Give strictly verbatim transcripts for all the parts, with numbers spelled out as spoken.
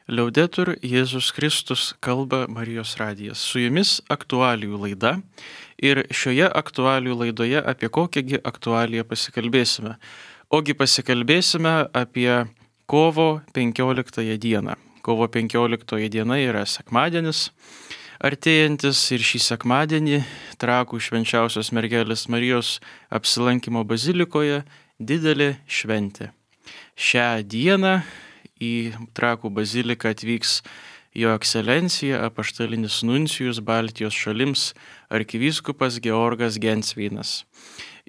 Liaudetur Jėzus Kristus, kalba Marijos radijas. Su jumis aktualijų laida ir šioje aktualijų laidoje apie kokiągi aktualiją pasikalbėsime. Ogi pasikalbėsime apie kovo penkioliktąją dieną. Kovo penkioliktoji diena yra sekmadienis artėjantis ir šį sekmadienį Trakų švenčiausios mergelės Marijos apsilankimo bazilikoje didelė šventė. Šią dieną į Trakų baziliką atvyks Jo ekscelencija apaštalinis nuncijus Baltijos šalims arkivyskupas Georgas Gensveinas.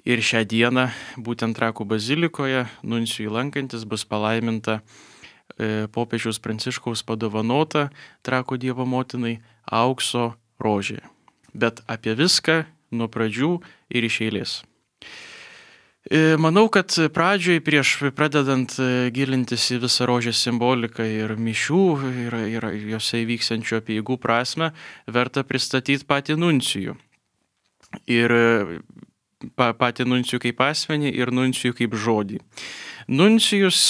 Ir šią dieną būtent Trakų bazilikoje nuncijui lankantis bus palaiminta e, popiežiaus Pranciškaus padovanota Trakų Dievo motinai aukso rožė. Bet apie viską nuo pradžių ir iš eilės. Manau, kad pradžioj prieš pradedant gilintis į visą rožės simboliką ir mišių ir, ir jose įvyksiančių apeigų prasme, verta pristatyti patį nuncijų. Ir pa, patį nuncijų kaip asmenį ir nuncijų kaip žodį. Nuncijus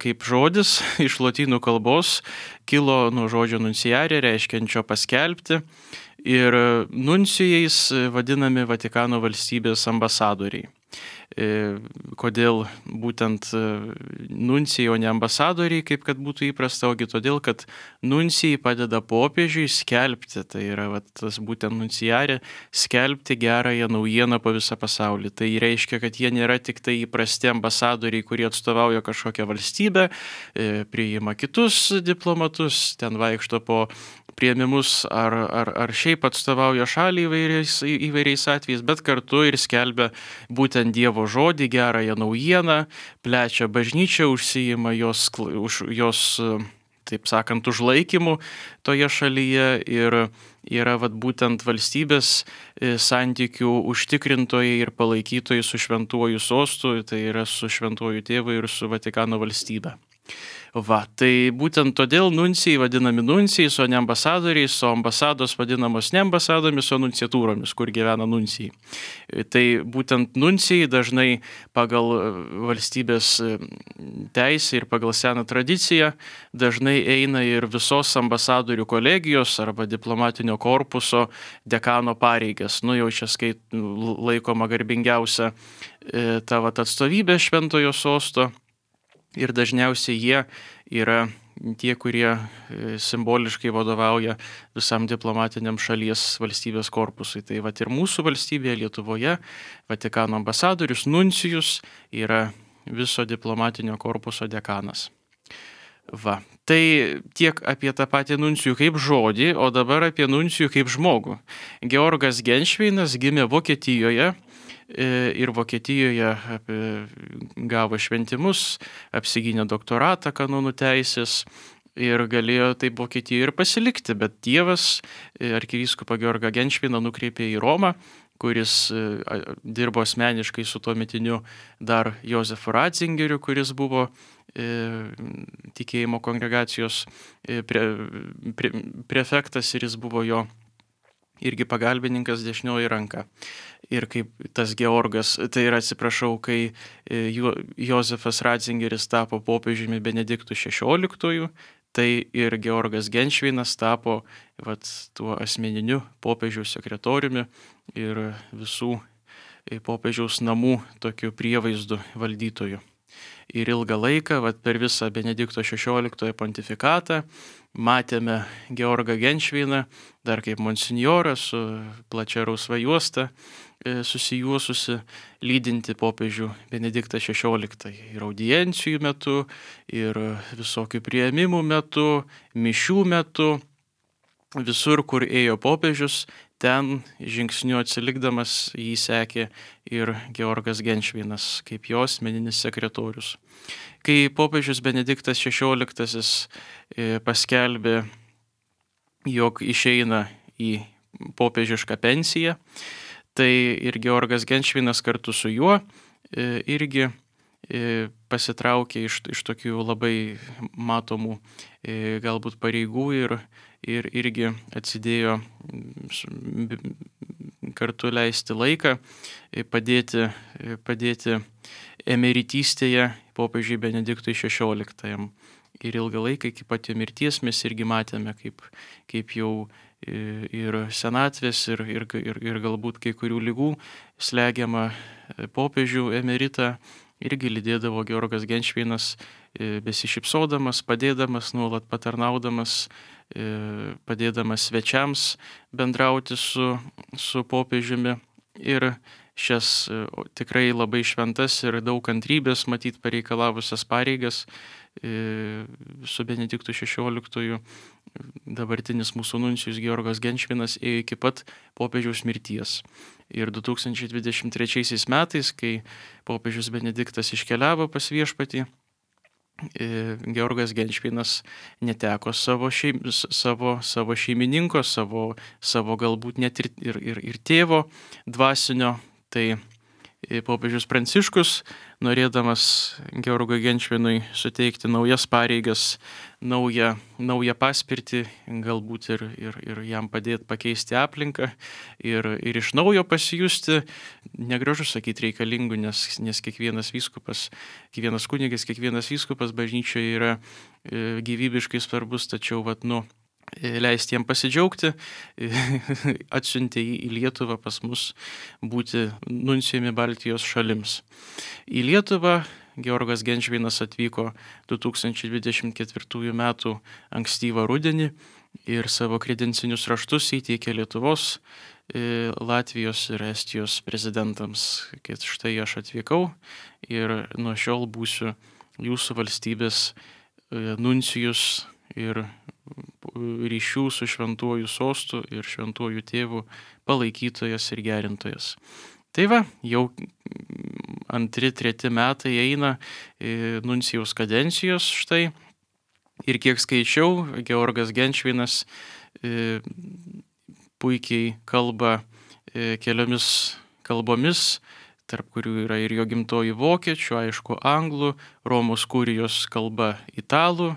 kaip žodis iš lotynų kalbos kilo nuo žodžio nunciare, reiškiančio paskelbti, ir nuncijais vadinami Vatikano valstybės ambasadoriai. Kodėl būtent nuncijai, o ne ambasadoriai, kaip kad būtų įprasta, ogi todėl, kad nuncijai padeda popiežiui skelbti, tai yra vat, tas būtent nunciarė, skelbti gerąją naujieną po visą pasaulį. Tai reiškia, kad jie nėra tik tai įprasti ambasadoriai, kurie atstovauja kažkokią valstybę, priima kitus diplomatus, ten vaikšto po priėmimus ar, ar, ar šiaip atstovauja šalį įvairiais, įvairiais atvejais, bet kartu ir skelbia būtent Dievo žodį, gerąją naujieną, plečia bažnyčią, užsijima jos, už, jos, taip sakant, užlaikymu toje šalyje ir yra vat, būtent valstybės santykių užtikrintojai ir palaikytojai su šventuoju sostu, tai yra su šventuoju tėvu ir su Vatikano valstybe. Va, tai būtent todėl nuncijai vadinami nuncijais, o ne ambasadoriais, o ambasados vadinamos ne ambasadomis, o nunciatūromis, kur gyvena nuncijai. Tai būtent nuncijai dažnai pagal valstybės teisę ir pagal seną tradiciją dažnai eina ir visos ambasadorių kolegijos arba diplomatinio korpuso dekano pareigas. Nu jau čia skait laikoma garbingiausia ta vat atstovybė šventojo sosto. Ir dažniausiai jie yra tie, kurie simboliškai vadovauja visam diplomatiniam šalies valstybės korpusui. Tai vat ir mūsų valstybėje Lietuvoje Vatikano ambasadorius nuncijus yra viso diplomatinio korpuso dekanas. Va. Tai tiek apie tą patį nuncijų kaip žodį, o dabar apie nuncijų kaip žmogų. Georgas Gensveinas gimė Vokietijoje. Ir Vokietijoje gavo šventimus, apsigynė doktoratą kanonų teisės ir galėjo taip Vokietijoje ir pasilikti, bet Dievas arkivyskupą Georgą Gensveiną nukreipė į Romą, kuris dirbo asmeniškai su tuometiniu dar Jozefu Ratzingeriu, kuris buvo tikėjimo kongregacijos pre, pre, prefektas ir jis buvo jo irgi pagalbininkas dešinioji ranka. Ir kaip tas Georgas, tai yra atsiprašau, kai jo, Jozefas Ratzingeris tapo popiežiumi Benediktu šešioliktuoju, tai ir Georgas Gensveinas tapo vat, tuo asmeniniu popiežiaus sekretoriumi ir visų popiežiaus namų tokiu prievaizdu valdytoju. Ir ilgą laiką, vat, per visą Benedikto šešioliktojo pontifikatą, matėme Georgą Gensveiną dar kaip monsinjorą su plačia rausva juosta susijuosusi lydinti popiežių Benediktą šešioliktąjį ir audiencijų metu, ir visokių priėmimų metu, mišių metu, visur, kur ėjo popiežius, ten žingsniu atsilikdamas jį sekė ir Georgas Gensveinas kaip jo asmeninis sekretorius. Kai popiežius Benediktas šešioliktasis paskelbė, jog išeina į popiežišką pensiją, tai ir Georgas Gensveinas kartu su juo irgi pasitraukė iš, iš tokių labai matomų galbūt pareigų ir, ir irgi atsidėjo kartu leisti laiką, padėti, padėti emeritystėje popiežiui Benediktui šešioliktajam. ir ilgą laiką iki pat jo mirties mes irgi matėme, kaip, kaip jau ir senatvės, ir, ir, ir, ir galbūt kai kurių lygų slegiamą popiežių emeritą irgi lydėdavo Georgas Genšvinas, besišypsodamas, padėdamas, nuolat patarnaudamas, padėdamas svečiams bendrauti su, su popiežiumi. Ir šias tikrai labai šventas ir daug kantrybės matyt pareikalavusias pareigas su Benediktu šešioliktuoju dabartinis mūsų nuncijus Georgas Genšvinas ėjo iki pat popiežiaus mirties. Ir du tūkstančiai dvidešimt trečiaisiais metais, kai popiežius Benediktas iškeliavo pas viešpatį, Georgas Genšvinas neteko savo, šeim, savo, savo šeimininko, savo, savo galbūt net ir, ir, ir, ir tėvo dvasinio. Tai popiežius Pranciškus, norėdamas Georgui Genšvinui suteikti naujas pareigas, naują, naują paspirtį, galbūt ir, ir, ir jam padėti pakeisti aplinką ir, ir iš naujo pasijusti, negražu sakyti reikalingų, nes, nes kiekvienas vyskupas, kiekvienas kunigas, kiekvienas vyskupas bažnyčioje yra gyvybiškai svarbus, tačiau vat, nu, leisti jiem pasidžiaugti, atsiuntė jį į Lietuvą pas mus būti nuncijumi Baltijos šalims. Į Lietuvą Georgas Genšvinas atvyko du tūkstančiai dvidešimt ketvirtųjų metų ankstyvą rudenį ir savo kredencinius raštus įteikė Lietuvos, Latvijos ir Estijos prezidentams, kad štai aš atvykau ir nuo šiol būsiu jūsų valstybės nuncijus ir ryšių su šventuoju sostu ir šventuoju tėvu palaikytojas ir gerintojas. Tai va, jau antri, treti metai eina nuncijaus kadencijos štai. Ir kiek skaičiau, Georgas Genšvinas puikiai kalba keliomis kalbomis, tarp kurių yra ir jo gimtoji vokiečių, aišku, anglų, Romos kurijos kalba italų,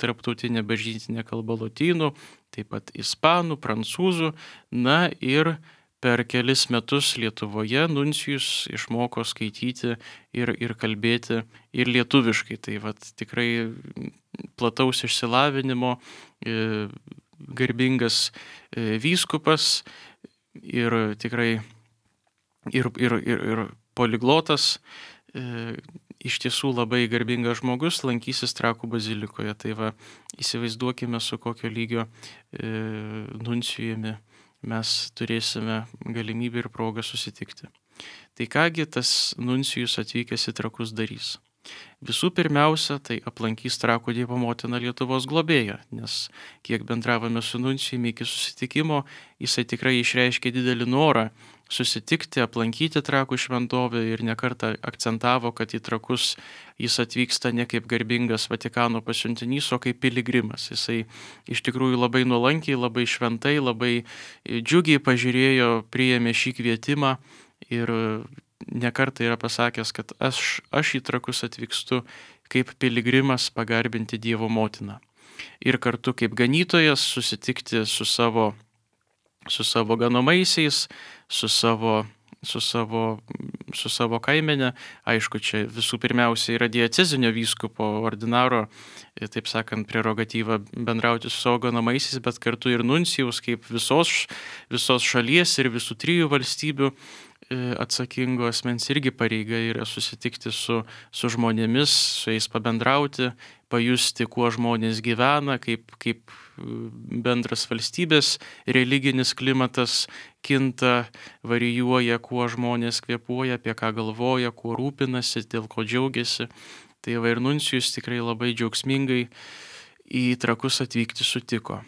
tarptautinė bažnytinė kalba lotynų, taip pat ispanų, prancūzų. Na ir per kelis metus Lietuvoje nuncijus išmoko skaityti ir, ir kalbėti ir lietuviškai. Tai vat, tikrai plataus išsilavinimo, garbingas vyskupas ir tikrai Ir, ir, ir, ir poliglotas, e, iš tiesų labai garbingas žmogus, lankysis Trakų bazilikoje. Tai va, įsivaizduokime, su kokio lygio e, nuncijumi mes turėsime galimybę ir progą susitikti. Tai kągi tas nuncijus atvykęs į Trakus darys? Visų pirmiausia, tai aplankys Trakų Dievo motiną Lietuvos globėją, nes kiek bendravome su nuncijumi iki susitikimo, jisai tikrai išreiškė didelį norą susitikti, aplankyti Trakų šventovę ir nekartą akcentavo, kad į Trakus jis atvyksta ne kaip garbingas Vatikano pasiuntinys, o kaip piligrimas. Jisai iš tikrųjų labai nuolankiai, labai šventai, labai džiugiai pažiūrėjo, priėmė šį kvietimą ir nekartą yra pasakęs, kad aš, aš į Trakus atvykstu kaip piligrimas pagarbinti Dievo motiną. Ir kartu kaip ganytojas susitikti su savo, su savo ganomaisiais, su savo, su savo, su savo kaimene. Aišku, čia visų pirmiausia yra diecezinio vyskupo ordinaro, taip sakant, prerogatyva bendrauti su savo ganomaisiais, bet kartu ir nuncijaus kaip visos, visos šalies ir visų trijų valstybių atsakingo asmens irgi pareiga yra susitikti su, su žmonėmis, su jais pabendrauti, pajusti, kuo žmonės gyvena, kaip, kaip bendras valstybės religinis klimatas kinta, varijuoja, kuo žmonės kvėpuoja, apie ką galvoja, kuo rūpinasi, dėl ko džiaugiasi. Tai va ir nuncijus tikrai labai džiaugsmingai į Trakus atvykti sutiko.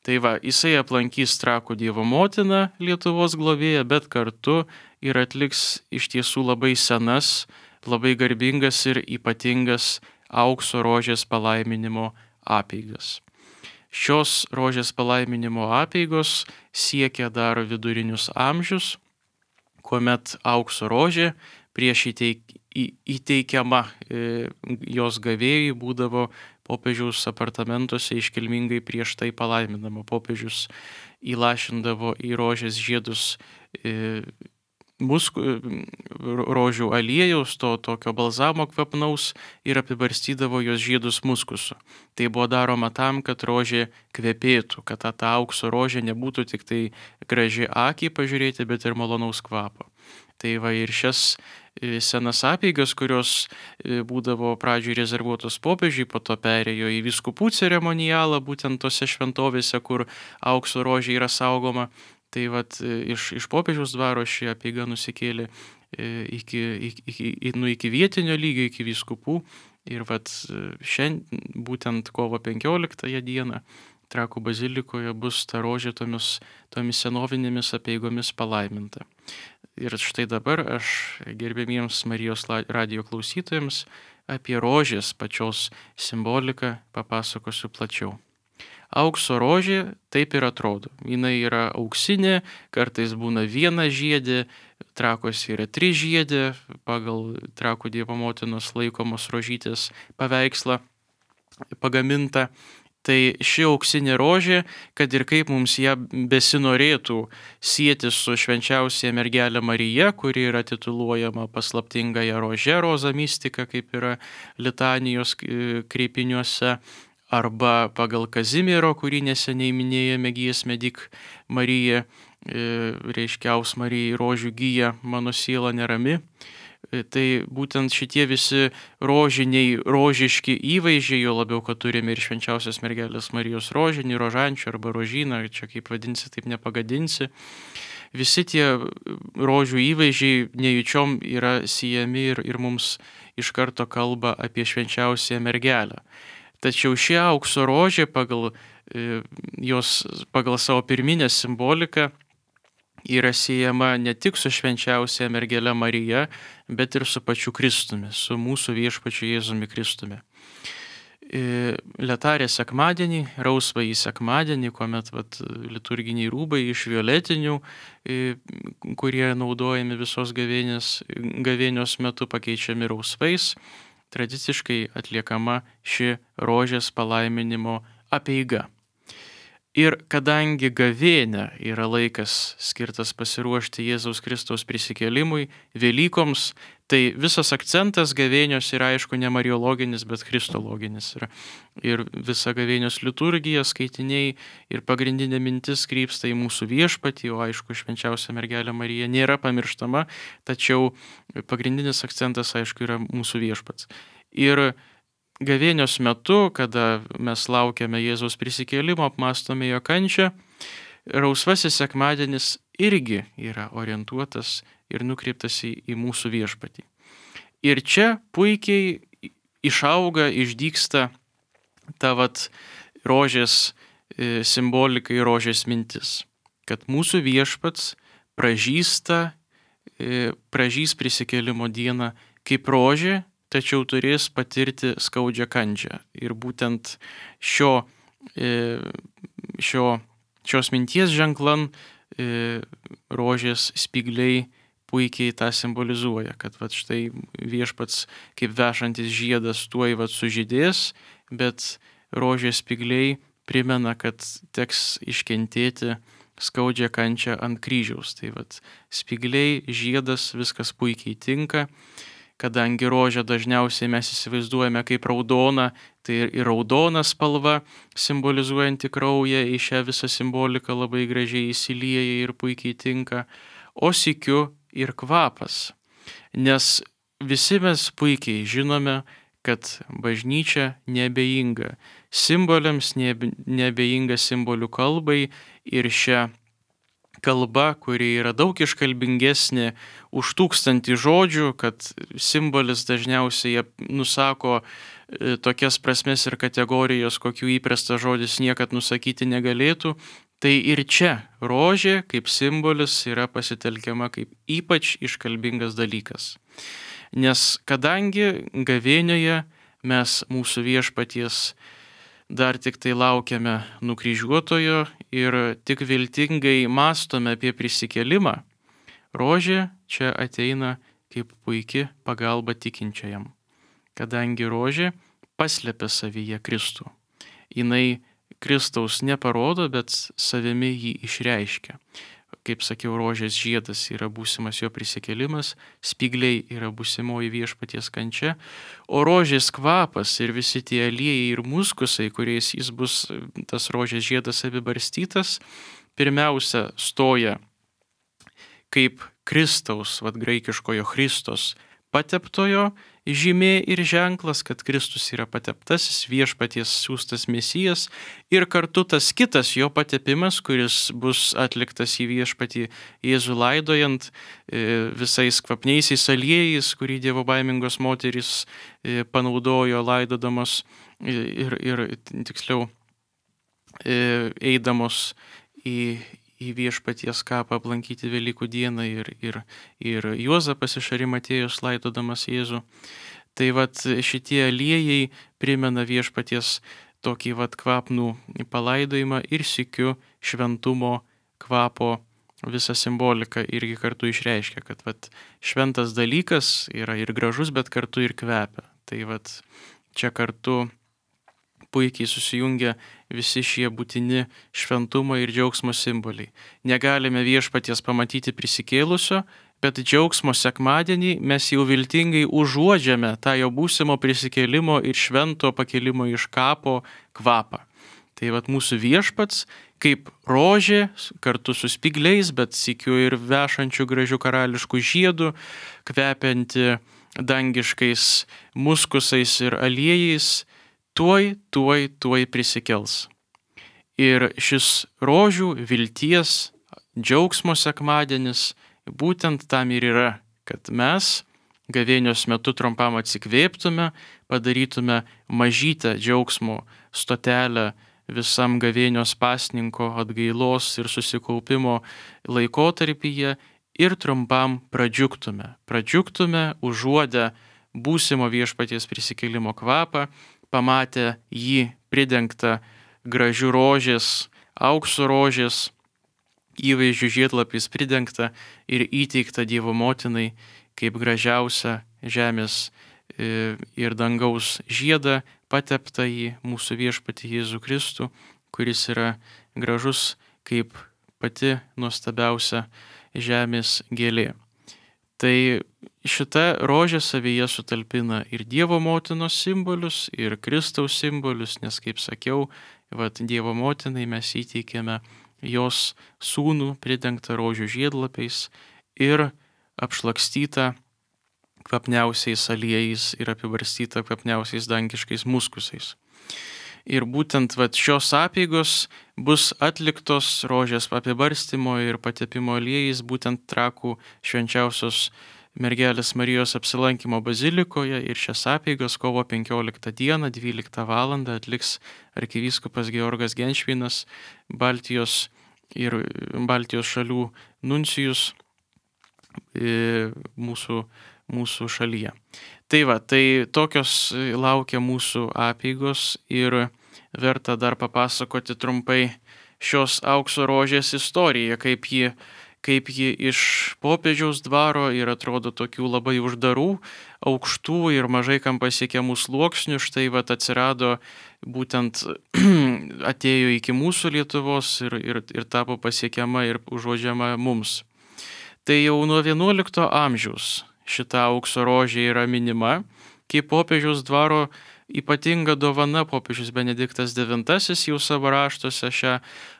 Tai va, jisai aplankys Trakų Dievo motiną Lietuvos globėją, bet kartu ir atliks iš tiesų labai senas, labai garbingas ir ypatingas aukso rožės palaiminimo apeigas. Šios rožės palaiminimo apeigos siekia dar vidurinius amžius, kuomet aukso rožė prieš įteik, į, įteikiama e, jos gavėjui būdavo popiežiaus apartamentuose iškilmingai prieš tai palaiminama. Popiežius įlašindavo į rožės žiedus e, musku, rožių aliejaus, to tokio balzamo kvapnaus ir apibarstydavo jos žiedus muskusu. Tai buvo daroma tam, kad rožė kvepėtų, kad ta, ta aukso rožė nebūtų tik tai graži akiai pažiūrėti, bet ir malonaus kvapo. Tai va ir šias senas apeigas, kurios būdavo pradžioj rezervuotos popiežiui, po to perėjo į vyskupų ceremonialą, būtent tose šventovėse, kur aukso rožė yra saugoma. Tai vat iš, iš popiežiaus dvaro ši apeiga nusikėlė iki, iki, nu, iki vietinio lygio, iki vyskupų. Ir vat šiandien, būtent kovo penkioliktąją dieną, Trakų bazilikoje bus ta rožė tomis, tomis senovinėmis apeigomis palaiminta. Ir štai dabar aš gerbėmiems Marijos radijo klausytojams apie rožės pačios simboliką papasakosiu plačiau. Aukso rožė taip ir atrodo. Jinai yra auksinė, kartais būna viena žiedė, Trakuose yra trys žiedė, pagal Trakų Dievo motinos laikomos rožytės paveikslą pagaminta. Tai ši auksinė rožė, kad ir kaip mums ją besinorėtų sieti su švenčiausia mergelė Marija, kuri yra tituluojama paslaptingąja rože, roza mistika, kaip yra litanijos kreipiniuose, arba pagal Kazimiero, kurį neseniai minėjome giesmę Dik Marija, reiškiaus Marijai rožių gyja, mano siela nerami. Tai būtent šitie visi rožiniai, rožiški įvaizdžiai, jo labiau, kad turime ir švenčiausios mergelės Marijos rožinį, rožančių arba rožyną, čia kaip vadinsi, taip nepagadinsi. Visi tie rožių įvaizdžiai nejučiom yra siejami ir, ir mums iš karto kalba apie švenčiausią mergelę. Tačiau ši aukso rožė pagal, jos, pagal savo pirminę simboliką yra siejama ne tik su švenčiausia mergelė Marija, bet ir su pačiu Kristumi, su mūsų viešpačiu Jėzumi Kristumi. Letarė sekmadienį, rausvąjį sekmadienį, kuomet vat, liturginiai rūbai iš violetinių, kurie naudojami visos gavėnios, gavėnios metu, pakeičiami rausvais, tradiciškai atliekama ši rožės palaiminimo apeiga. Ir kadangi gavėnia yra laikas skirtas pasiruošti Jėzaus Kristaus prisikėlimui, Velykoms, tai visas akcentas gavėnios yra aišku ne mariologinis, bet kristologinis. Ir, ir visa gavėnios liturgija, skaitiniai ir pagrindinė mintis krypsta į mūsų viešpatį, o aišku, švenčiausia mergelė Marija nėra pamirštama, tačiau pagrindinis akcentas aišku yra mūsų viešpats. Ir gavėnios metu, kada mes laukiame Jėzaus prisikėlimo, apmąstome jo kančią, rausvasis sekmadienis irgi yra orientuotas ir nukreiptas į, į mūsų viešpatį. Ir čia puikiai išauga, išdygsta ta vat rožės simbolika ir rožės mintis, kad mūsų viešpats pražįsta, pražys prisikėlimo dieną kaip rožė, tačiau turės patirti skaudžią kančią. Ir būtent šio, šio, šios minties ženklan rožės spygliai puikiai tą simbolizuoja, kad vat štai viešpats kaip vešantis žiedas tuoj vat sužydės, bet rožės spygliai primena, kad teks iškentėti skaudžią kančią ant kryžiaus. Tai vat spygliai, žiedas, viskas puikiai tinka. Kadangi rožę dažniausiai mes įsivaizduojame kaip raudoną, tai ir raudona spalva, simbolizuojanti kraują, į šią visą simboliką labai gražiai įsilieja ir puikiai tinka, o sykiu ir kvapas. Nes visi mes puikiai žinome, kad bažnyčia neabejinga simboliams, neabejinga simbolių kalbai ir šią kalba, kuri yra daug iškalbingesnė už tūkstantį žodžių, kad simbolis dažniausiai nusako tokias prasmes ir kategorijas, kokių įprastas žodis niekad nusakyti negalėtų, tai ir čia rožė kaip simbolis yra pasitelkiama kaip ypač iškalbingas dalykas. Nes kadangi gavėnioje mes mūsų viešpaties dar tik tai laukiame nukryžiuotojo ir tik viltingai mąstome apie prisikėlimą, rožė čia ateina kaip puiki pagalba tikinčiajam, kadangi rožė paslepia savyje Kristų. Jinai Kristaus neparodo, bet savimi jį išreiškia. kaip sakiau, rožės žiedas yra būsimas jo prisikėlimas, spygliai yra būsimoji viešpaties kančia, o rožės kvapas ir visi tie aliejai ir muskusai, kuriais jis bus, tas rožės žiedas apibarstytas, pirmiausia stoja kaip Kristaus, vad graikiškojo Christos, pateptojo žymė ir ženklas, kad Kristus yra pateptasis, viešpaties siųstas mesijas, ir kartu tas kitas jo patepimas, kuris bus atliktas į viešpatį Jėzų laidojant visais kvapniaisiais aliejais, kurį dievobaimingos moterys panaudojo laidodamos ir, ir tiksliau eidamos į į viešpaties kapą aplankyti Velykų dieną ir, ir, ir Juozapas iš Arimatėjos laidodamas Jėzų. Tai vat šitie aliejai primena viešpaties tokį vat kvapnų palaidojimą ir sykiu šventumo kvapo visą simboliką irgi kartu išreiškia, kad vat šventas dalykas yra ir gražus, bet kartu ir kvepia. Tai vat čia kartu puikiai susijungia visi šie būtini šventumo ir džiaugsmo simboliai. Negalime viešpaties pamatyti prisikėlusio, bet džiaugsmo sekmadienį mes jau viltingai užuodžiame tą jo būsimo prisikėlimo ir švento pakėlimo iš kapo kvapą. Tai vat mūsų viešpats kaip rožė kartu su spygliais, bet sykiu ir vešančių gražių karališkų žiedų, kvepianti dangiškais muskusais ir aliejais, tuoj, tuoj, tuoj prisikels. Ir šis rožių, vilties, džiaugsmo sekmadienis būtent tam ir yra, kad mes gavėnios metu trumpam atsikvėptume, padarytume mažytę džiaugsmo stotelę visam gavėnios pasninko atgailos ir susikaupimo laikotarpyje ir trumpam pradžiugtume. Pradžiugtume užuodę būsimo viešpaties prisikėlimo kvapą, pamatę jį pridengtą gražių rožės, aukso rožės, įvaizdžių žiedlapiais pridengtą ir įteikta Dievo motinai kaip gražiausia žemės ir dangaus žiedą, patepta į mūsų viešpatį Jėzų Kristų, kuris yra gražus kaip pati nuostabiausia žemės gėlė. Tai šita rožė savyje sutalpina ir Dievo motinos simbolius, ir Kristaus simbolius, nes, kaip sakiau, vat, Dievo motinai mes įteikėme jos sūnų pridengtą rožių žiedlapiais ir apšlakstytą kvapniausiais aliejais ir apibarstytą kvapniausiais dangiškais muskusais. Ir būtent vat, šios apeigos bus atliktos rožės apibarstymo ir patepimo aliejais būtent Trakų švenčiausios mergelės Marijos apsilankimo bazilikoje, ir šias apeigas kovo penkioliktą dieną dvyliktą valandą atliks arkivyskupas Georgas Genšvinas, Baltijos ir Baltijos šalių nuncijus mūsų, mūsų šalyje. Tai va, tai tokios laukia mūsų apeigos ir verta dar papasakoti trumpai šios aukso rožės istoriją, kaip ji, kaip ji iš popiežiaus dvaro ir atrodo tokių labai uždarų, aukštų ir mažai kam pasiekiamų sluoksnių, štai vat atsirado būtent atėjo iki mūsų Lietuvos ir, ir, ir tapo pasiekiama ir užuodžiama mums. Tai jau nuo vienuolikto amžiaus šita aukso rožė yra minima, kaip popiežiaus dvaro ypatinga dovana. Popiežius Benediktas devintasis jau savo raštuose šią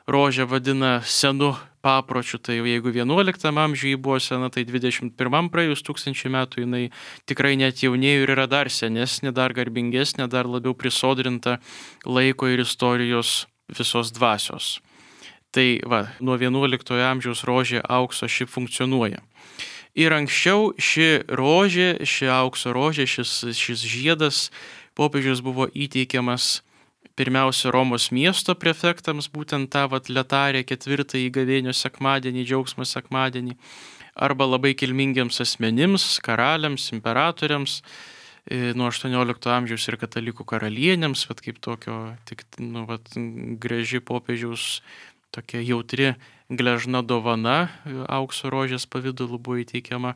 rožę vadina senu papročiu. Tai jeigu vienuoliktam amžiuje buvo sena, tai dvidešimt pirmam praėjus tūkstančių metų jinai tikrai net jaunėjo ir yra dar senesnė, dar garbingesnė, dar labiau prisodrinta laiko ir istorijos visos dvasios. Tai va, nuo vienuoliktojo amžiaus rožė aukso ši funkcionuoja. Ir anksčiau ši rožė, ši aukso rožė, šis, šis žiedas popiežius buvo įteikiamas pirmiausia Romos miesto prefektams, būtent tą vat letarę ketvirtąjį gavėnios sekmadienį, džiaugsmo sekmadienį, arba labai kilmingiems asmenims, karaliams, imperatoriams, nuo aštuoniolikto amžiaus ir katalikų karalienėms, vat kaip tokio tik, nu, vat, graži popiežiaus tokia jautri gležna dovana aukso rožės pavidalu buvo įteikiama.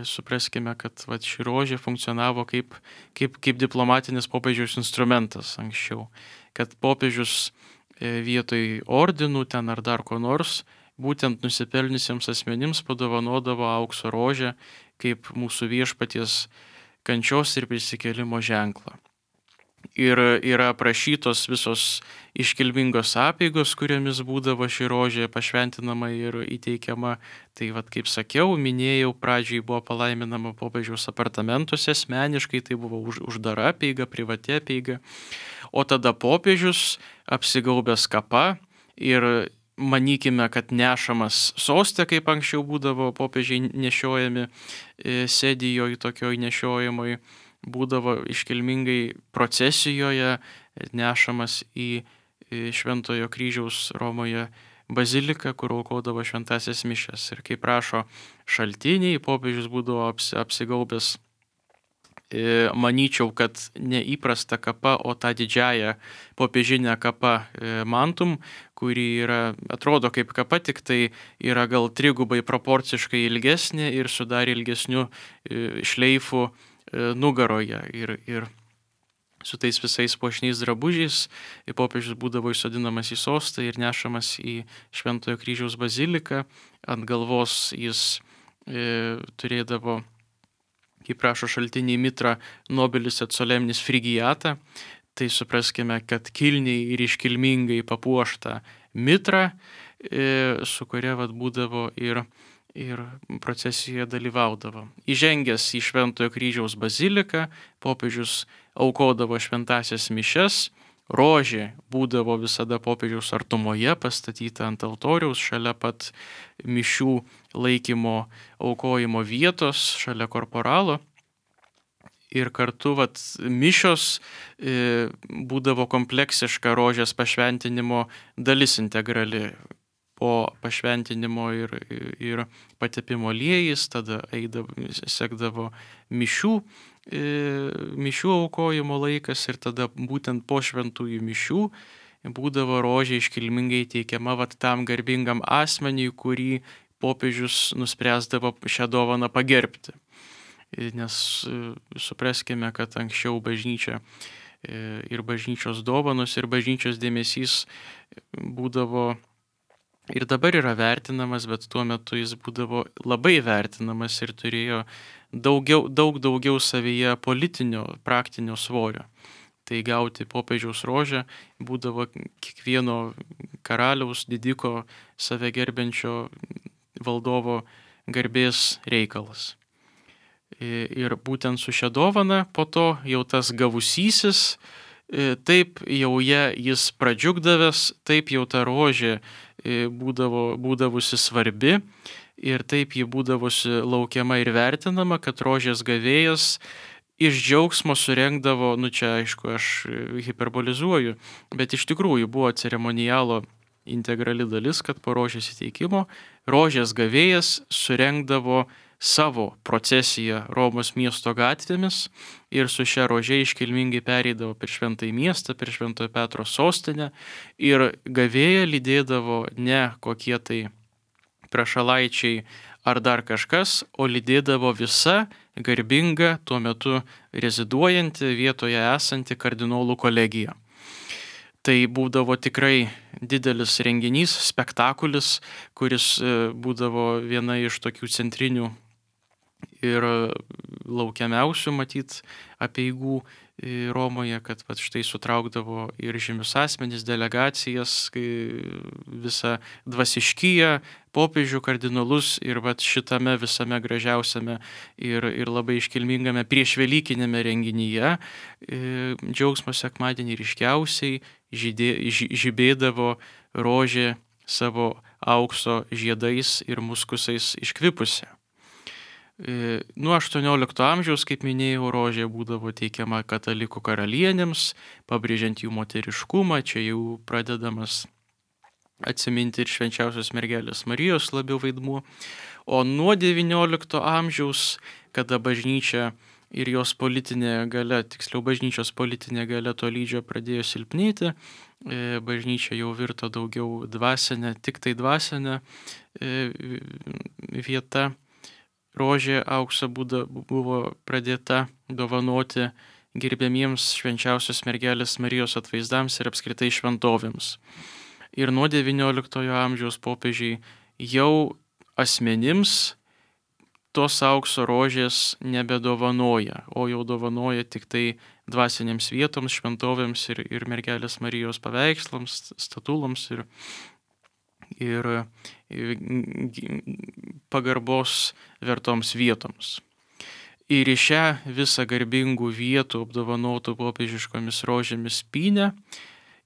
Supraskime, kad vat, ši rožė funkcionavo kaip, kaip, kaip diplomatinis popiežiaus instrumentas anksčiau. Kad popiežius vietoj ordinų ten ar dar ko nors būtent nusipelnusiems asmenims padovanodavo aukso rožę kaip mūsų viešpaties kančios ir prisikėlimo ženklą. Ir yra aprašytos visos iškilmingos apeigos, kuriomis būdavo ši rožė pašventinama ir įteikiama. Tai vad, kaip sakiau, minėjau, pradžiai buvo palaiminama popiežiaus apartamentuose asmeniškai, tai buvo už, uždara apeiga, privati apeiga. O tada popiežius apsigaubęs kapa ir manykime, kad nešamas soste, kaip anksčiau būdavo popiežiai nešiojami sėdijoje tokioj nešiojimoj, būdavo iškilmingai procesijoje nešamas į Šventojo kryžiaus Romoje baziliką, kur aukodavo šventasias mišias. Ir kaip rašo šaltiniai, popiežius būdavo apsigaubęs, manyčiau, kad neįprasta kapa, o tą didžiąją popiežinę kapą mantum, kuri yra, atrodo kaip kapa, tik tai yra gal trigubai proporciškai ilgesnė ir su dar ilgesniu šleifu nugaroje. Ir, ir su tais visais puošniais drabužiais popiežius būdavo įsodinamas į sostą ir nešamas į Šventojo kryžiaus baziliką. Ant galvos jis e, turėdavo, kaip rašo šaltiniai, mitrą nobilis et solemnis frigiata. Tai supraskime, kad kilniai ir iškilmingai papuošta mitra, e, su kuria vat, būdavo ir ir procesijoje dalyvaudavo. Įžengęs į Šventojo kryžiaus baziliką, popiežius aukodavo šventasias mišias, rožė būdavo visada popiežiaus artumoje, pastatyta ant altoriaus, šalia pat mišių laikymo aukojimo vietos, šalia korporalo. Ir kartu vat, mišios e, būdavo kompleksiška rožės pašventinimo dalis integrali. Po pašventinimo ir, ir patepimo aliejais, tada eidavo, sekdavo mišių, e, mišių aukojimo laikas ir tada būtent po šventųjų mišių būdavo rožė iškilmingai teikiama vat, tam garbingam asmeniui, kurį popiežius nuspręsdavo šią dovaną pagerbti. Nes e, supraskime, kad anksčiau bažnyčia e, ir bažnyčios dovanos ir bažnyčios dėmesys būdavo ir dabar yra vertinamas, bet tuo metu jis būdavo labai vertinamas ir turėjo daugiau, daug daugiau savyje politinio, praktinio svorio. Tai gauti popiežiaus rožę būdavo kiekvieno karaliaus, didiko, save gerbiančio valdovo garbės reikalas. Ir būtent su šia dovana po to jau tas gavusysis, taip jau ją jis pradžiugdavęs, taip jau ta rožė būdavo, būdavusi svarbi ir taip ji būdavusi laukiama ir vertinama, kad rožės gavėjas iš džiaugsmo surengdavo, nu čia aišku aš hiperbolizuoju, bet iš tikrųjų buvo ceremonialo integrali dalis, kad po rožės įteikimo rožės gavėjas surengdavo savo procesiją Romos miesto gatvėmis ir su šia rože iškilmingai pereidavo per šventąjį miestą, per Šventojo Petro sostinę ir gavėją lydėdavo ne kokie tai prašalaičiai ar dar kažkas, o lydėdavo visa garbinga tuo metu reziduojanti vietoje esanti kardinolų kolegija. Tai būdavo tikrai didelis renginys, spektakulis, kuris būdavo viena iš tokių centrinių ir laukiamiausių matyt apeigų Romoje, kad pat štai sutraukdavo ir žymius asmenys, delegacijas, visą dvasiškiją, popiežių, kardinolus ir vat šitame visame gražiausiame ir, ir labai iškilmingame priešvelykinėme renginyje džiaugsmo sekmadienį ryškiausiai žydė, žibėdavo rožė savo aukso žiedais ir muskusais iškvipusi. Nuo aštuoniolikto amžiaus, kaip minėjau, rožė būdavo teikiama katalikų karalienėms, pabrėžiant jų moteriškumą, čia jau pradedamas atsiminti ir švenčiausios mergelės Marijos labiau vaidmuo. O nuo devyniolikto amžiaus, kada bažnyčia ir jos politinė galia, tiksliau bažnyčios politinė galia tolydžio pradėjo silpnėti, bažnyčia jau virto daugiau dvasinė, tik tai dvasinė vieta. Rožė aukso buvo pradėta dovanoti gerbiamiems švenčiausios mergelės Marijos atvaizdams ir apskritai šventovėms. Ir nuo devynioliktojo amžiaus popiežiai jau asmenims tos aukso rožės nebedovanoja, o jau dovanoja tik tai dvasinėms vietoms, šventovėms ir, ir mergelės Marijos paveikslams, statuloms ir, ir, ir pagarbos vertoms vietoms. Ir į šią visą garbingų vietų apdovanotų popiežiškomis rožėmis pynę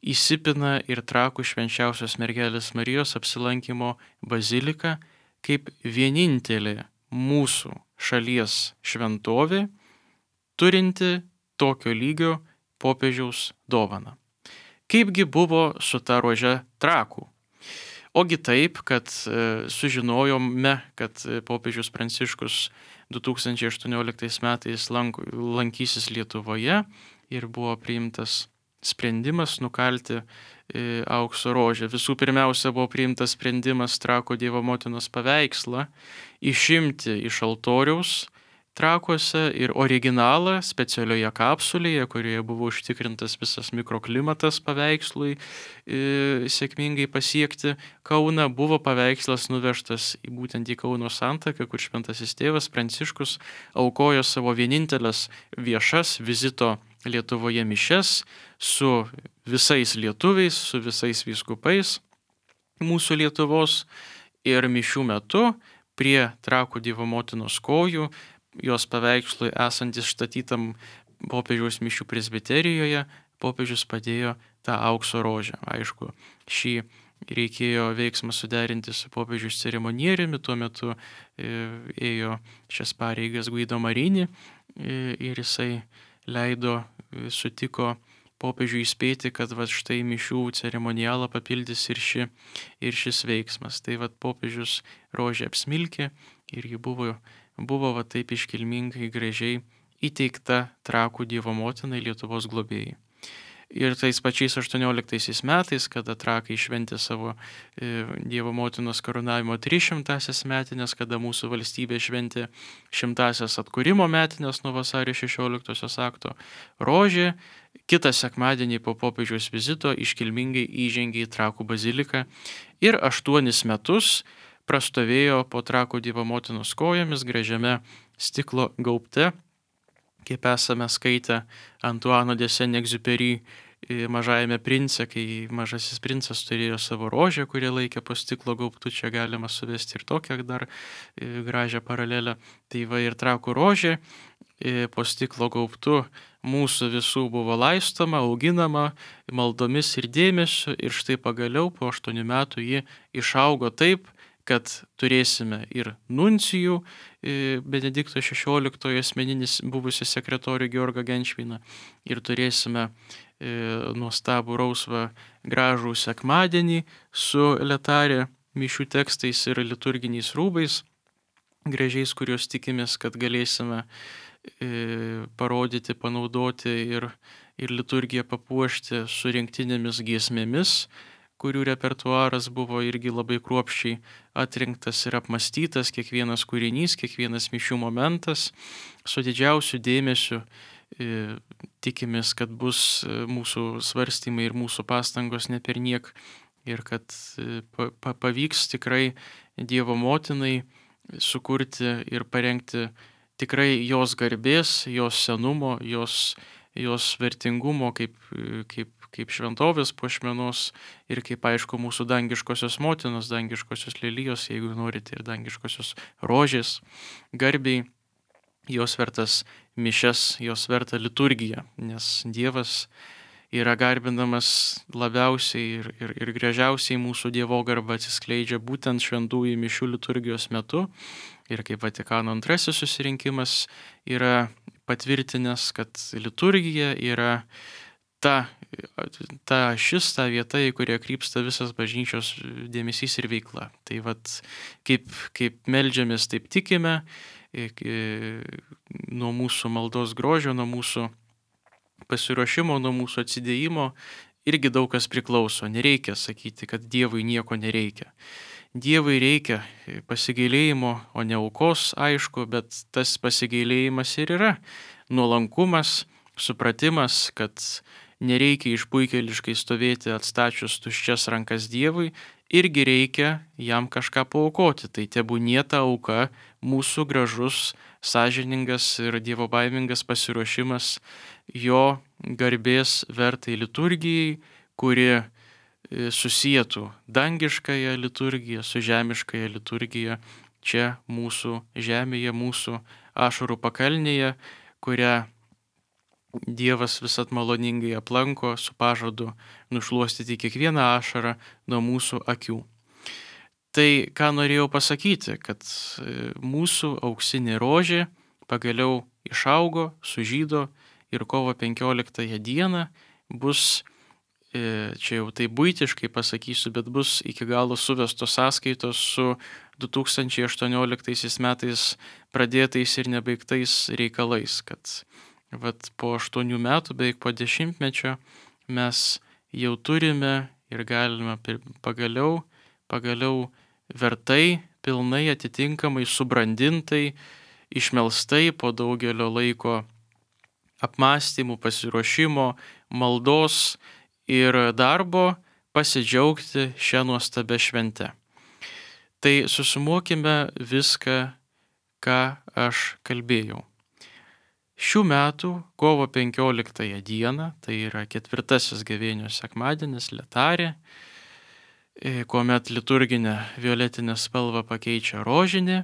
įsipina ir Trakų švenčiausios mergelės Marijos apsilankimo bazilika kaip vienintelė mūsų šalies šventovė, turinti tokio lygio popiežiaus dovaną. Kaipgi buvo su ta rože Trakų? Ogi taip, kad e, sužinojome, kad popiežius Pranciškus du tūkstančiai aštuonioliktais metais lank, lankysis Lietuvoje ir buvo priimtas sprendimas nukalti e, aukso rožę. Visų pirmiausia buvo priimtas sprendimas Trakų Dievo motinos paveikslą išimti iš altoriaus Trakuose ir originalą specialioje kapsulėje, kurioje buvo užtikrintas visas mikroklimatas paveikslui e, sėkmingai pasiekti Kauną, buvo paveikslas nuvežtas į būtent į Kauno santaką, kur šventasis tėvas Pranciškus aukojo savo vienintelės viešas vizito Lietuvoje mišias su visais lietuviais, su visais vyskupais mūsų Lietuvos, ir mišių metu prie Trakų Dievo motinos kojų, jos paveikslui esant išstatytam popiežiaus mišių presbiterijoje, popiežius padėjo tą aukso rožę. Aišku, šį reikėjo veiksmą suderinti su popiežiaus ceremonieriumi, tuo metu ėjo šias pareigas Guido Marini ir jisai leido, sutiko popiežiui įspėti, kad va štai mišių ceremonialą papildys ir, ši, ir šis veiksmas. Tai va popiežius rožę apsmilkė ir ji buvo, buvo va taip iškilmingai gražiai įteikta Trakų Dievo motinai, Lietuvos globėjai. Ir tais pačiais aštuonioliktaisiais metais, kada Trakai šventė savo e, Dievo motinos karūnavimo trisšimtąsias metinės, kada mūsų valstybė šventė šimtąsias atkūrimo metinės nuo vasario šešioliktosios akto, rožė kitą sekmadienį po popiežiaus vizito iškilmingai įžengė į Trakų baziliką ir aštuonis metus prastovėjo po Trakų Dievo motinos kojomis gražiame stiklo gaubte, kaip esame skaitę Antuano de Saint-Exupéry Mažajame prince, kai Mažasis princas turėjo savo rožę, kurią laikė po stiklo gaubtu, čia galima suvesti ir tokią dar gražią paralelę. Tai va ir Trakų rožė po stiklo gaubtu mūsų visų buvo laistoma, auginama maldomis ir dėmesiu, ir štai pagaliau po aštuonių metų ji išaugo taip, kad turėsime ir nuncijų, Benedikto šešioliktojo asmeninis buvusi sekretorių Georgą Genšviną, ir turėsime nuostabų rausvą gražų sekmadienį su letarė mišių tekstais ir liturginiais rūbais, gražiais, kuriuos tikimės, kad galėsime parodyti, panaudoti ir, ir liturgiją papuošti su rinktinėmis giesmėmis, kurių repertuaras buvo irgi labai kruopščiai atrinktas ir apmastytas, kiekvienas kūrinys, kiekvienas mišių momentas, su didžiausiu dėmesiu. E, tikimės, kad bus mūsų svarstymai ir mūsų pastangos ne per niek ir kad e, pa, pavyks tikrai Dievo motinai sukurti ir parengti tikrai jos garbės, jos senumo, jos, jos vertingumo kaip, kaip kaip šventovės puošmenos ir kaip aišku mūsų dangiškosios motinos, dangiškosios lelijos, jeigu norite, ir dangiškosios rožės garbiai, jos vertas mišias, jos verta liturgija, nes Dievas yra garbinamas labiausiai ir, ir, ir gražiausiai mūsų Dievo garba atsiskleidžia būtent šventųjų mišių liturgijos metu. Ir kaip Vatikano antrasis susirinkimas yra patvirtinęs, kad liturgija yra ta, ta šis, ta vieta, į kurią krypsta visas bažnyčios dėmesys ir veikla. Tai vat, kaip, kaip meldžiamės, taip tikime, nuo mūsų maldos grožio, nuo mūsų pasiruošimo, nuo mūsų atsidėjimo irgi daug kas priklauso. Nereikia sakyti, kad Dievui nieko nereikia. Dievui reikia pasigailėjimo, o ne aukos, aišku, bet tas pasigailėjimas ir yra nuolankumas, supratimas, kad nereikia išpuikėliškai stovėti atstačius tuščias rankas Dievui irgi reikia jam kažką paaukoti. Tai tebūnie ta auka mūsų gražus, sąžiningas ir dievobaimingas pasiruošimas jo garbės vertai liturgijai, kuri susietų dangiškąją liturgiją su žemiškąją liturgiją čia mūsų žemėje, mūsų ašarų pakalnėje, kurią Dievas visat maloningai aplanko su pažadu nušluostyti kiekvieną ašarą nuo mūsų akių. Tai ką norėjau pasakyti, kad mūsų auksinė rožė pagaliau išaugo, sužydo ir kovo penkioliktąją dieną bus, čia jau tai buitiškai pasakysiu, bet bus iki galo suvestos sąskaitos su du tūkstančiai aštuonioliktaisiais metais pradėtais ir nebaigtais reikalais, kad vat po aštuonių metų, beveik po dešimtmečio mes jau turime ir galime pagaliau, pagaliau vertai, pilnai atitinkamai, subrandintai, išmelstai po daugelio laiko apmąstymų, pasiruošimo, maldos ir darbo pasidžiaugti šią nuostabią šventę. Tai susumuokime viską, ką aš kalbėjau. Šių metų kovo penkioliktąją dieną, tai yra ketvirtasis gavėnios sekmadienis, letarė, kuomet liturginę violetinę spalvą pakeičia rožinė,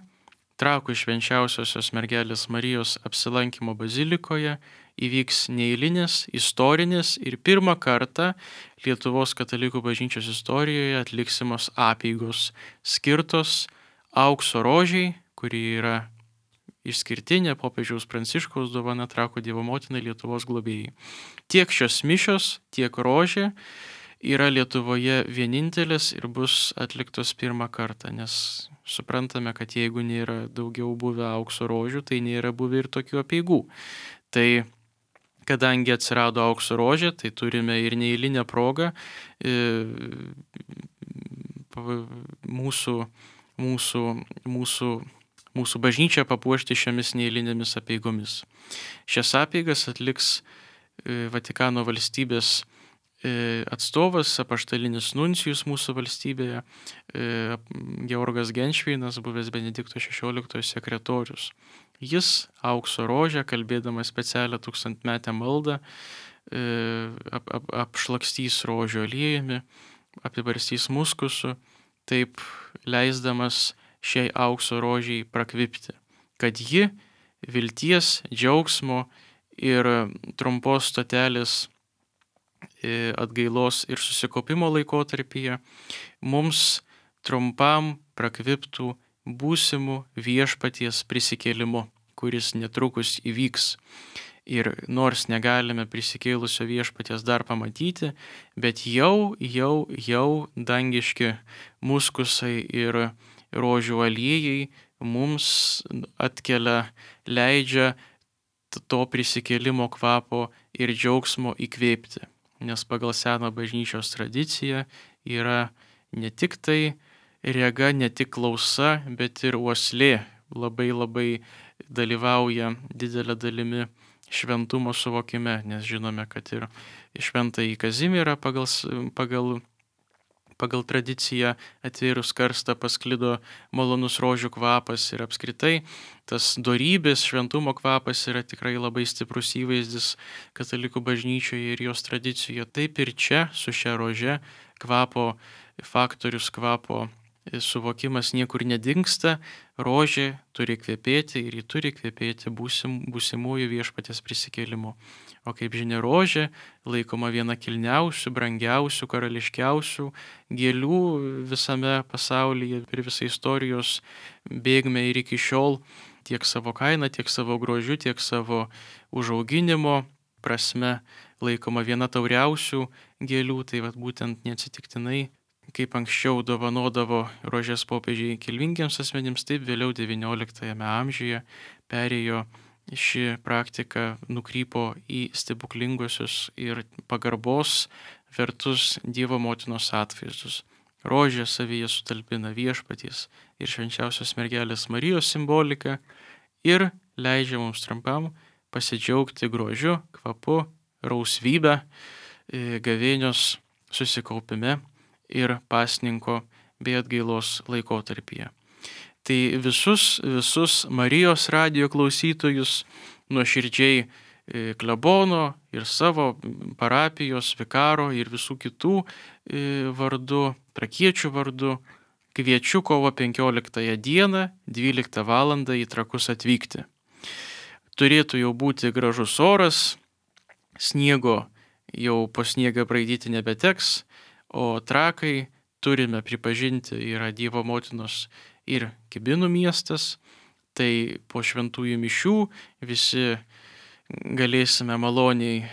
Trakų švenčiausiosios mergelės Marijos apsilankymo bazilikoje įvyks neeilinis, istorinis ir pirmą kartą Lietuvos katalikų bažnyčios istorijoje atliksimos apeigos skirtos aukso rožiai, kuri yra išskirtinė popiežiaus Pranciškaus dovana Trakų Dievo motinai Lietuvos globėjai. Tiek šios mišios, tiek rožė yra Lietuvoje vienintelis ir bus atliktos pirmą kartą, nes suprantame, kad jeigu nėra daugiau buvę aukso rožių, tai nėra buvę ir tokių apeigų. Tai kadangi atsirado aukso rožė, tai turime ir neeilinę progą e, mūsų, mūsų, mūsų mūsų bažnyčią papuošti šiomis neeilinėmis apeigomis. Šias apeigas atliks Vatikano valstybės atstovas, apaštalinis nuncijus mūsų valstybėje, Georgas Genšveinas, buvęs Benedikto šešioliktojo sekretorius. Jis aukso rožę, kalbėdamas specialią tūkstantmetę maldą, ap, ap, apšlakstys rožių aliejumi, apibarstys muskusu, taip leisdamas šiai aukso rožiai prakvipti, kad ji vilties, džiaugsmo ir trumpos stotelės atgailos ir susikaupimo laikotarpyje mums trumpam prakviptų būsimų viešpaties prisikėlimu, kuris netrukus įvyks. Ir nors negalime prisikėlusio viešpaties dar pamatyti, bet jau, jau, jau dangiški muskusai ir rožių aliejai mums atkelia, leidžia to prisikėlimo kvapo ir džiaugsmo įkvėpti. Nes pagal seną bažnyčios tradiciją yra ne tik tai rega, ne tik klausa, bet ir uoslė labai labai dalyvauja didelė dalimi šventumo suvokime, nes žinome, kad ir šventąjį Kazimierą pagal, pagal, pagal tradiciją atvėrus karstą pasklido malonus rožių kvapas ir apskritai tas dorybės šventumo kvapas yra tikrai labai stiprus įvaizdis katalikų bažnyčioje ir jos tradicijoje. Taip ir čia su šia rože kvapo faktorius, kvapo suvokimas niekur nedingsta, rožė turi kvepėti ir ji turi kvepėti būsim, būsimųjų viešpaties prisikėlimu. O kaip žinia, rožė laikoma viena kilniausių, brangiausių, karališkiausių gėlių visame pasaulyje per visą istorijos bėgmę ir iki šiol tiek savo kainą, tiek savo grožiu, tiek savo užauginimo prasme laikoma viena tauriausių gėlių, tai vat būtent neatsitiktinai, kaip anksčiau dovanodavo rožės popiežiai kilmingiems asmenims, taip vėliau devynioliktajame amžiuje perėjo ši praktika, nukrypo į stebuklingosius ir pagarbos vertus Dievo motinos atvaizdus. Rožė savyje sutalpina viešpaties ir švenčiausios mergelės Marijos simboliką ir leidžia mums trumpam pasidžiaugti grožiu, kvapu, rausvybe, gavėnios susikaupime ir pasninko bei atgailos laikotarpyje. Tai visus, visus Marijos radijo klausytojus nuoširdžiai klebono ir savo parapijos, vikaro ir visų kitų vardu, trakiečių vardu, kviečiu kovo penkioliktąją dieną, dvyliktą valandą į Trakus atvykti. Turėtų jau būti gražus oras, sniego jau po sniegą braidyti nebeteks, o Trakai, turime pripažinti, yra Dievo motinos ir Kibinų miestas, tai po šventųjų mišių visi galėsime maloniai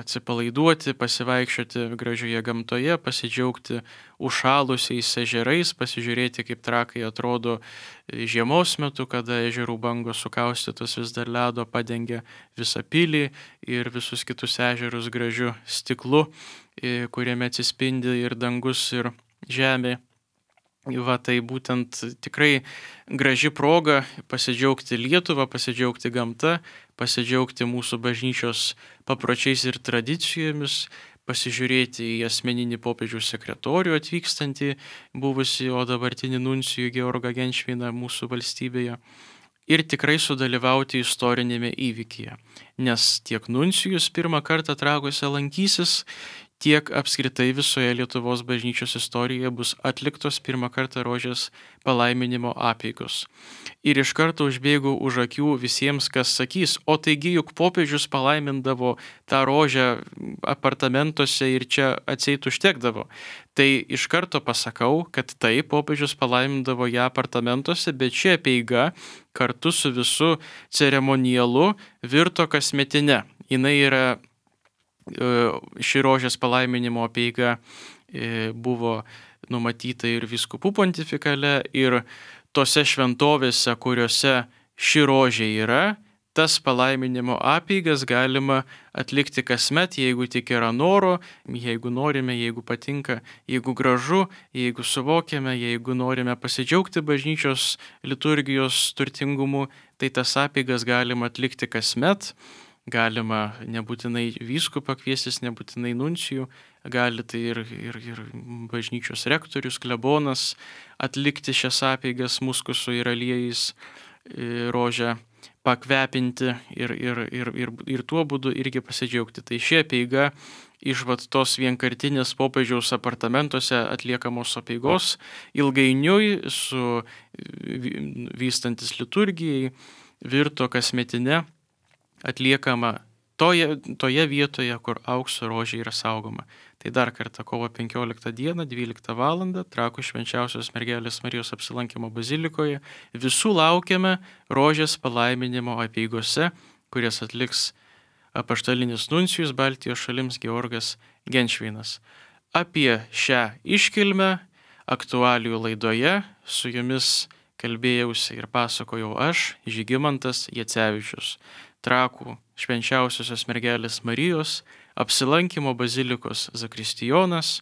atsipalaiduoti, pasivaikščioti gražioje gamtoje, pasidžiaugti užšalusiais ežerais, pasižiūrėti, kaip Trakai atrodo žiemos metu, kada ežerų bangos sukaustytos vis dar ledo padengia visą pilį ir visus kitus ežerus gražiu stiklu, kuriame atsispindi ir dangus, ir žemė. Va, tai būtent tikrai graži proga pasidžiaugti Lietuvą, pasidžiaugti gamta, pasidžiaugti mūsų bažnyčios papročiais ir tradicijomis, pasižiūrėti į asmeninį popiežiaus sekretorių atvykstantį, buvusi, o dabartinį nuncijų Georgą Genšviną mūsų valstybėje. Ir tikrai sudalyvauti istorinėme įvykyje, nes tiek nuncijus pirmą kartą Trakuose lankysis, tiek apskritai visoje Lietuvos bažnyčios istorijoje bus atliktos pirmą kartą rožės palaiminimo apeigos. Ir iš karto užbėgau už akių visiems, kas sakys, o taigi juk popiežius palaimindavo tą rožę apartamentuose ir čia atseit užtekdavo. Tai iš karto pasakau, kad taip, popiežius palaimindavo ją apartamentuose, bet ši apeiga kartu su visu ceremonialu virto kasmetine. Jinai yra Ši rožės palaiminimo apeiga buvo numatyta ir vyskupų pontifikale, ir tose šventovėse, kuriuose ši rožė yra, tas palaiminimo apeigas galima atlikti kasmet, jeigu tik yra noro, jeigu norime, jeigu patinka, jeigu gražu, jeigu suvokiame, jeigu norime pasidžiaugti bažnyčios liturgijos turtingumu, tai tas apeigas galima atlikti kasmet. Galima nebūtinai vyskupą kviestis, nebūtinai nuncijų, gali tai ir, ir, ir bažnyčios rektorius, klebonas atlikti šias apeigas muskusu ir aliejais rožę pakvepinti ir, ir, ir, ir, ir tuo būdu irgi pasidžiaugti. Tai ši apeiga iš vat tos vienkartinės popiežiaus apartamentuose atliekamos apeigos ilgainiui su vystantis liturgijai virto kasmetine, atliekama toje, toje vietoje, kur aukso rožė yra saugoma. Tai dar kartą kovo penkioliktą dieną, dvyliktą valandą, Trakų švenčiausios mergelės Marijos apsilankimo bazilikoje. Visų laukiame rožės palaiminimo apeigose, kurias atliks apaštalinis nuncijus Baltijos šalims Georgas Genšvinas. Apie šią iškilmę aktualijų laidoje su jumis kalbėjausi ir pasakojau aš, Žygimantas Jacevičius. Trakų švenčiausiosios mergelės Marijos apsilankimo bazilikos zakristijonas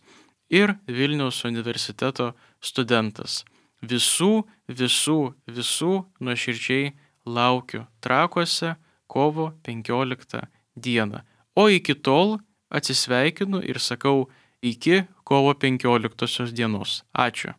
ir Vilniaus universiteto studentas. Visų, visų, visų nuoširdžiai laukiu Trakuose kovo penkioliktą dieną. O iki tol atsisveikinu ir sakau iki kovo penkioliktosios dienos. Ačiū.